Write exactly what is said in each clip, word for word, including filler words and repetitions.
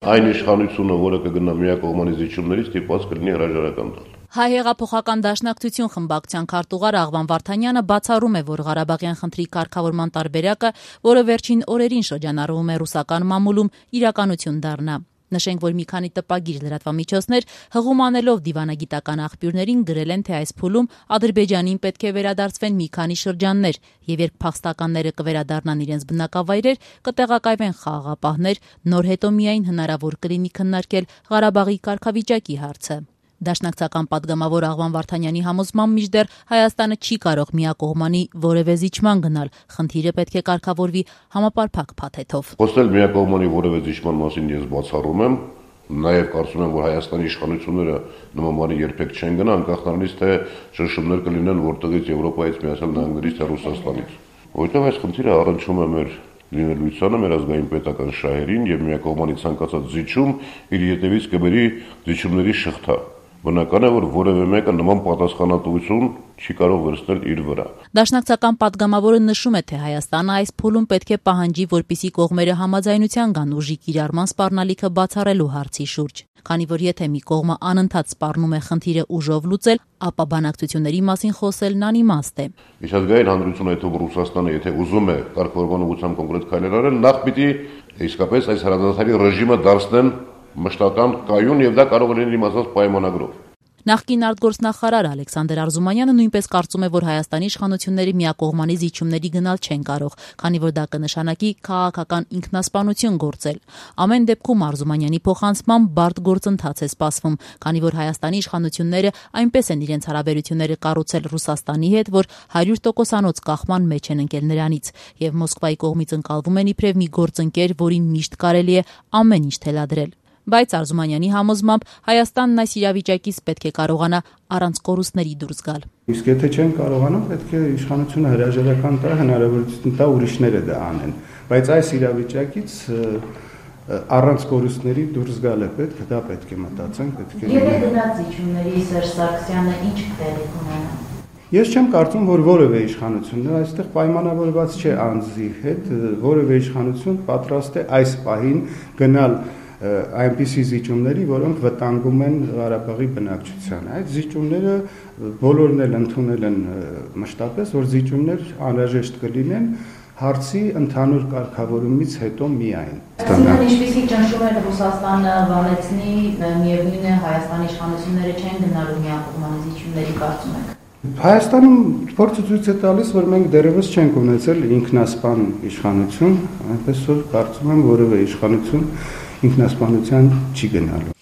այն իշխանությունը, որը կգնա միակողմանի զիջումներից, ստիպված կլինի հրաժարական տալ։ Հայ հեղափոխական դաշնակցություն խմբակցության քարտուղար Աղվան Վարդանյանը բացառում է, որ Ղարաբաղյան խնդրի կարգավորման տարբերակը, որը վերջին օրերին շրջանառվում է ռուսական մամուլում, իրականություն դառնա։ Նշենք, որ մի քանի տպագիր լրատվամիջոցներ հղում անելով դիվանագիտական աղբյուրներին գրել են, թե այս փուլում Ադրբեջանին պետք է վերադարձվեն մի քանի շրջաններ, եւ երբ փախստականները կվերադառնան իրենց բնակավայրեր, կտեղակայվեն խաղաղապահներ, նոր հետո միայն հնարավոր կլինի քննարկել Ղարաբաղի կարգավիճակի հարցը։ Դաշնակցական պատգամավոր Աղվան Վարդանյանի համոզմամբ մինչդեռ Հայաստանը չի կարող միակողմանի որևէ զիջման գնալ, խնդիրը պետք է կարգավորվի համապարփակ փաթեթով։ Խոսել միակողմանի որևէ զիջման մասին ես բացառում եմ, նաև կարծում եմ, որ Հայաստանի իշխանությունները նման բանի երբեք չեն գնա, անկախ նրանից, թե շնշումներ կլինեն որտեղից Եվրոպայից, Միացյալ Նահանգներից, թե Ռուսաստանից։ Որտեղ այս խնդիրը առնչվում է մեր լինելույթանը, մեր ազգային պետական շահերին եւ միակողմանի ցանկացած զիջում իր ետևից կբերի զիջումների շղթա։ Բնական է, որ որևէ մեկը նման պատասխանատվություն չի կարող վերցնել իր վրա։ Դաշնակցական պատգամավորը նշում է, թե Հայաստանը այս փուլում պետք է պահանջի, որպիսի կողմերը համաձայնության գան ուժի կիրառման սպառնալիքը բացառելու հարցի շուրջ։ Քանի որ եթե մի կողմը անընդհատ սպառնում է խնդիրը ուժով լուծել, ապա բանակցությունների մասին խոսելն անիմաստ է։ Միջազգային հանրությունը, եթե Ռուսաստանը եթե ուզում է կարգավորման ուղղությամբ կոնկրետ քայլեր արել, նախ պիտի իսկապես այս հրադադարի ռեժիմը դարձնեն մշտական կայուն եւ դա կարող է լինել իմացած պայմանագրով։ Նախկին արտգործնախարար Ալեքսանդր Արզումանյանը նույնպես կարծում է, որ Հայաստանի իշխանությունների միակողմանի զիջումների գնալ չեն կարող, քանի որ դա կնշանակի քաղաքական ինքնասպանություն գործել։ Ամեն դեպքում Արզումանյանի փոխանցմամբ բարդ գործընթաց է սպասվում, քանի որ Հայաստանի իշխանությունները այնպես են իրենց հարաբերությունները կառուցել Ռուսաստանի հետ, որ հարյուր տոկոսանոց կախման մեջ են ընկել նրանից, եւ Մոսկվայի կողմից ընկալվում են իբրև մի գործընկեր, որին միշտ կարելի է ամեն ինչ թելադրել։ Բայց Արզումանյանի համոզմամբ Հայաստանն այս իրավիճակից պետք է կարողանա առանց կորուստների դուրս գալ։ Իսկ եթե չեն կարողանա, պետք է իշխանությունը հրաժարական տա, հնարավորություն տա ուրիշները դա անեն։ Բայց այս իրավիճակից առանց կորուստների դուրս գալ է պետք, դա պետք է մտածենք, պետք է։ Եթե գնաց զիջումների Սերժ Սարգսյանը ինչ տեղի կունենա։ Ես չեմ կարծում, որ որևէ իշխանություն, այստեղ պայմանավորված չէ անձի հետ, որևէ իշխանություն պատրաստ է այս պահին գնալ այնպիսի զիջումների, որոնք վտանգում են Ղարաբաղի բնակչությանը։ Այդ զիջումները բոլորն էլ ընդունել են մշտապես, որ զիջումներ անհրաժեշտ կլինեն հարցի ընդհանուր կարգավորումից հետո միայն։ Այսինքն ինչպիսի ճնշումներ Ռուսաստանը վանեցնի, միևնույն է Հայաստանի իշխանությունները չեն գնալու միակողմանի զիջումների, կարծում եք։ Հայաստանում փորձը ցույց է տալիս, որ մենք դեռևս չենք ունեցել ինքնասպան իշխանություն, այնպես որ կարծում եմ որևէ իշխանություն ինքնասպանության չի գնալու։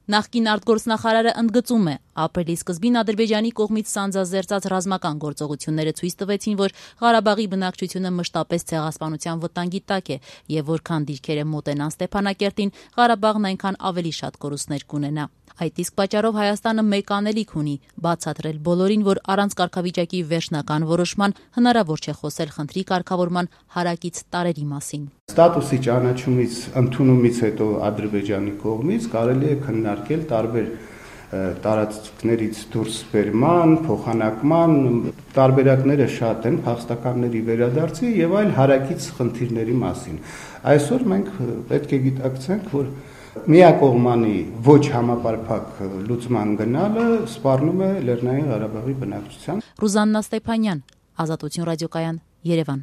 Նախկին արտգործնախարարը ընդգծում է, ապրիլի սկզբին Ադրբեջանի կողմից սանձազերծած ռազմական գործողությունները ցույց տվեցին, որ Ղարաբաղի բնակչությունը մշտապես ցեղասպանության վտանգի տակ է եւ որքան դիրքերը մոտենան Ստեփանակերտին, Ղարաբաղն այնքան ավելի շատ կորուստներ կունենա։ Այդ իսկ պատճառով Հայաստանը մեկ անելիք ունի բացատրել բոլորին, որ առանց կարգավիճակի վերջնական որոշման հնարավոր չէ խոսել խնդրի կարգավորման հարակից տարերի մասին։ Ստատուսի ճանաչումից, ընդունումից հետո Ադրբեջանի կողմից կարելի է քննարկել տարբեր տարածքներից դուրս բերման, փոխանակման տարբերակները շատ են, փախստականների վերադարձի եւ այլ հարակից խնդիրների մասին։ Այսօր մենք պետք է գիտակցենք, որ միակողմանի ոչ համապարփակ լուծման գնալը սպառնում է Լեռնային Ղարաբաղի բնակչության։ Ռուզաննա Ստեփանյան, Ազատություն ռադիոկայան, Երևան։